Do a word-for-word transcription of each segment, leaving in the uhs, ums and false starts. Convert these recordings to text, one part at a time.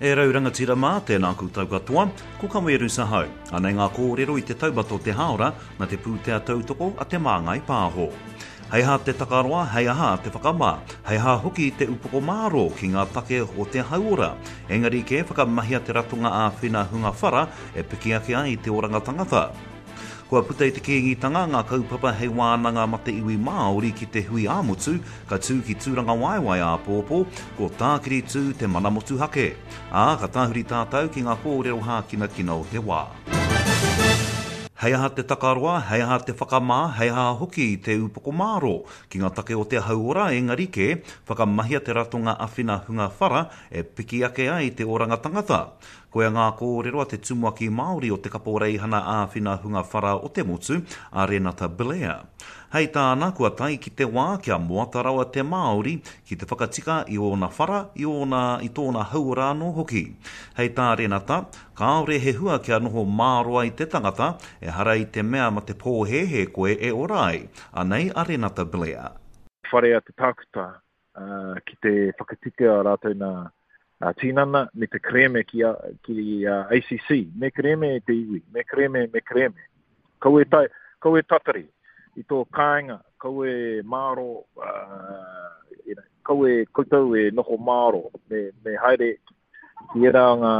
E rau rangatira mā, tēnā koutou katoa, ko Kaweru Sahau. Anei ngā kōrero i te taumata o te hāora nā te pūtea tautoko a Te Māngai Pāho. Hei aha te takaroa, hei aha te whakamā, hei aha hoki te upoko mārō ki ngā take o te hauora. Engari kē whakamahia te ratonga āwhina hunga whara e piki ake ai te oranga tangata. Kua puta i te Kīngitanga ngā kaupapa hei wānanga ma te iwi Māori ki te hui ā-motu, ka tū ki Tūrangawaewae āpōpō, ko Tākiri Tū te mana motuhake. Ā, ka tāhuri tātou ki ngā kōrero hākinakina o te wā. Hei aha te takaroa, hei aha te whakamā, hei aha hoki te upoko mārō ki ngā take o te hauora, engari kē, whakamahia te ratonga awhina hunga whara e piki ake ai te oranga tangata. Koia ngā kōrero a te Tumuaki Māori o te Kaporeihana Āwhina Hunga Whara o te Motu, a Renata Blair. Hei tāna, kua tae ki te wā kia moata rawa te Māori ki te whakatika i ōna whara, i ōna, i tōna hauora anō hoki. Hei tā Renata, kāore he hua kia noho māroa i te tangata, ehara i te mea ma te pōhēhē koe e ora ai. Anei a Renata Blair. Whare a te tākuta ki te whakatika rātou nā tinana me te kerēme ki a, ki a A C C. Me kerēme e te iwi, me kerēme, me kerēme. Kaua e, tai, kaua e tatari i tō kāinga, kaua e māro, uh, you know, kaua e koutou e noho māro, me, me haere ki era ngā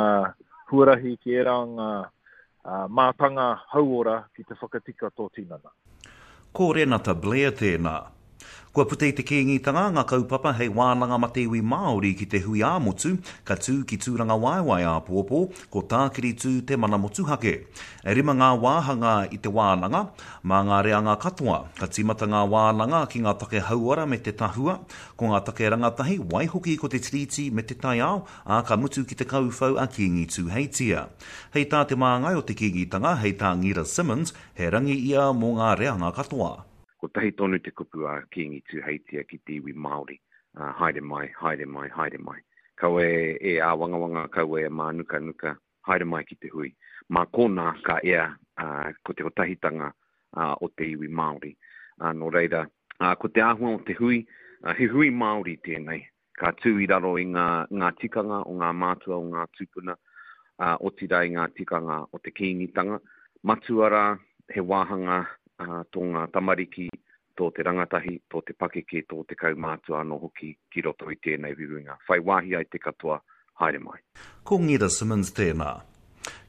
huarahi, ki era ngā uh, mātanga hauora ki te whakatika tō tinana. Ko Renata Blair tēnā. Kua puta i te Kīngitanga ngā kaupapa hei wānanga ma te iwi Māori ki te hui ā-motu, ka tū ki Tūrangawaewae āpōpō, ko Tākiri Tū te mana motuhake. E rima ngā wāhanga i te wānanga, mā ngā reanga katoa. Ka tīmata ngā wānanga ki ngā take hauora me te tahua, ko ngā take rangatahi, waihoki ko te tiriti me te taiao, ā, ka mutu ki te kauwhau a Kīngi Tūheitia. Hei tā te māngai o te Kīngitanga, hei tā Ngira Simmons, he rangi ia mō ngā reanga katoa. Kotahi tonu te kupu a Kīngi Tūheitia ki te iwi Māori, uh, haere mai, haere mai, haere mai. Kaua e, e āwangawanga, kaua e mānukanuka, haere mai ki te hui. Mā kōnā ka ea uh, ko te kotahitanga uh, o te iwi Māori. Uh, nō reira, uh, ko te āhua o te hui, uh, he hui Māori tēnei. Ka tū i raro i ngā, ngā tikanga o ngā mātua o ngā tūpuna, uh, otirā i ngā tikanga o te kīngitanga. Matua rā, he wāhanga uh, tō ngā tamariki, tō te rangatahi, tō te pakeke, tō te kaumātua anō hoki ki roto i tēnei huihuinga. Whai wāhi ai te katoa, haere mai. Ko Ngira Simmons tēnā.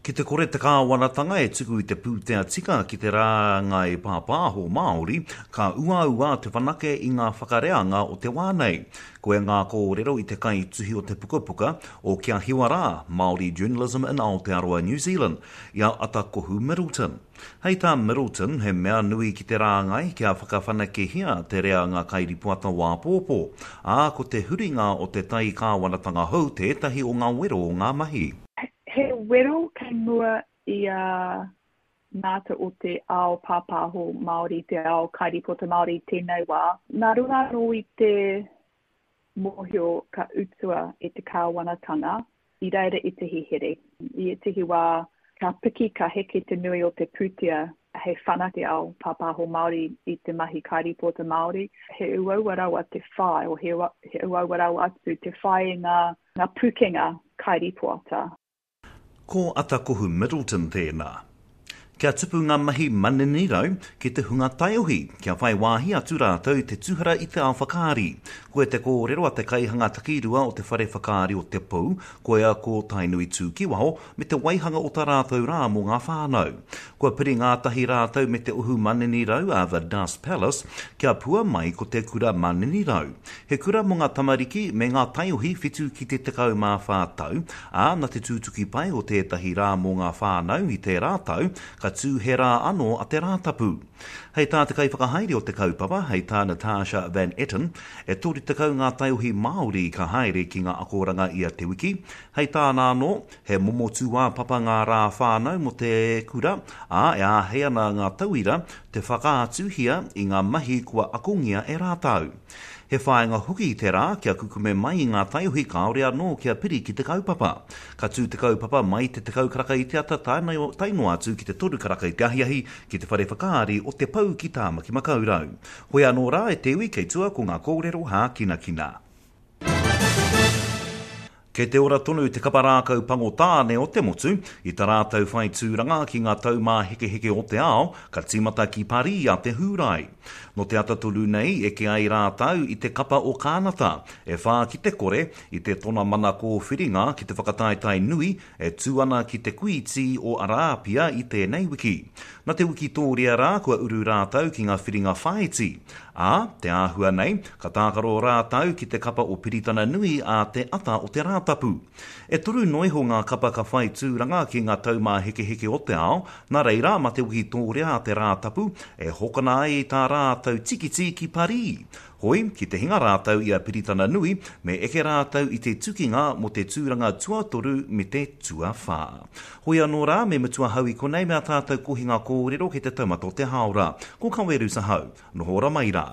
Ki te kore te kāwanatanga e tuku i te pūtea tika ki te rāngai pāpāho Māori, ka uaua te whanake i ngā whakareanga o te wā nei. Koia ngā kōrero i te kaituhi o te pukapuka o Kia Hiwa Rā, Māori Journalism in Aotearoa New Zealand, i a Atakohu Middleton. Hei tā Middleton, he mea nui ki te rāngai kia whakawhanakehia te reanga kairipoata wāpōpō, ā, ko te huringa o te tai kāwanatanga hou tētahi o ngā wero o ngā mahi. He wero kei mua i a mātou o te ao pāpāho Māori, te ao kairipota Māori tēnei wā. Nā runga anō i te mōhio ka utua e te kāwanatanga i reira ētehi here. I ētehi wā ka piki, ka heke te nui o te pūtea hei whanake te ao pāpāho Māori i te mahi kairipota Māori. He uaua rawa te whai, o he, he uaua rawa atu te whai i ngā, ngā pūkenga kairipoata. Ko Atakohu Middleton tēnā. Kia tupu ngā mahi manini rau ki te hunga taiohi, kia whai wāhi atu rātou te tuhara i te ao whakaari. Koia te kōrero a te kaihanga takirua o te whare whakaari o Te Pou, koia ko Tainui Tūkiwaho, me te waihanga o tā rātou rā mō ngā whānau. Kua piri ngātahi rātou me te ohu manini rau a The Dust Palace, kia pua mai ko te kura manini rau. He kura mō ngā tamariki me ngā taiohi whitu ki te tekau mā whā tau, ā, nā te tūtuki pai o tētahi rā mō ngā whānau i tērā tau, ka tū he rā anō a te Rātapu. Hei tā te kaiwhakahaere o te kaupapa, hei tā Natasha Van Etten, e toru tekau ngā taiohi Māori ka haere ki ngā akoranga ia te wiki. Hei tāna anō, he momo tūāpapa ngā rā whānau mō te kura, ā, e āhei ana ngā tauira te whakaatuhia i ngā mahi kua akongia e rātou. He whāinga hoki te rā kia kukume mai i ngā taiohi kāore anō kia piri ki te kaupapa. Ka tū te kaupapa mai te tekau karaka i te ata tae noa atu ki te toru karaka i te ahiahi ki te whare whakaari o Te Pou ki Tāmaki Makaurau. Hoi anō rā e te iwi kei tua ko ngā kōrero hākinakina. Kei te ora tonu te kapa rākau pango tāne o te motu, i tā rātou whai tūranga ki ngā taumāhekeheke o te ao, ka tīmata ki Parī a te Hūrae. Nō te ata tonu nei, eke ai rātou i te kapa o Kānata, e whā ki te kore, i te tonamana kōwhiringa ki te whakataetae nui e tū ana ki te Kuīti o Arāpia i tēnei wiki. Nā te wikitōria rā kua uru rātou ki ngā whiringa whāiti. Ā, te āhua nei, ka tākaro rātou ki te kapa o Piritana Nui a te ata o te Rātapu. E toru noa iho ngā kapa ka whai tūranga ki ngā taumāhekeheke o te ao, nā reira mā te wikitōria a te Rātapu e hokona ai tā rātou tikiti ki Parī. Hoi, ki te hinga rātou i a Piritana Nui, me eke rātou i te tukinga mō te tūranga tuatoru me te tuawhā. Hoi anō rā, me mutu ahau i konei me ā tātou kohinga kōrero ki te taumata o te hāora. Ko Kaweru Sahau. Noho ora mai rā.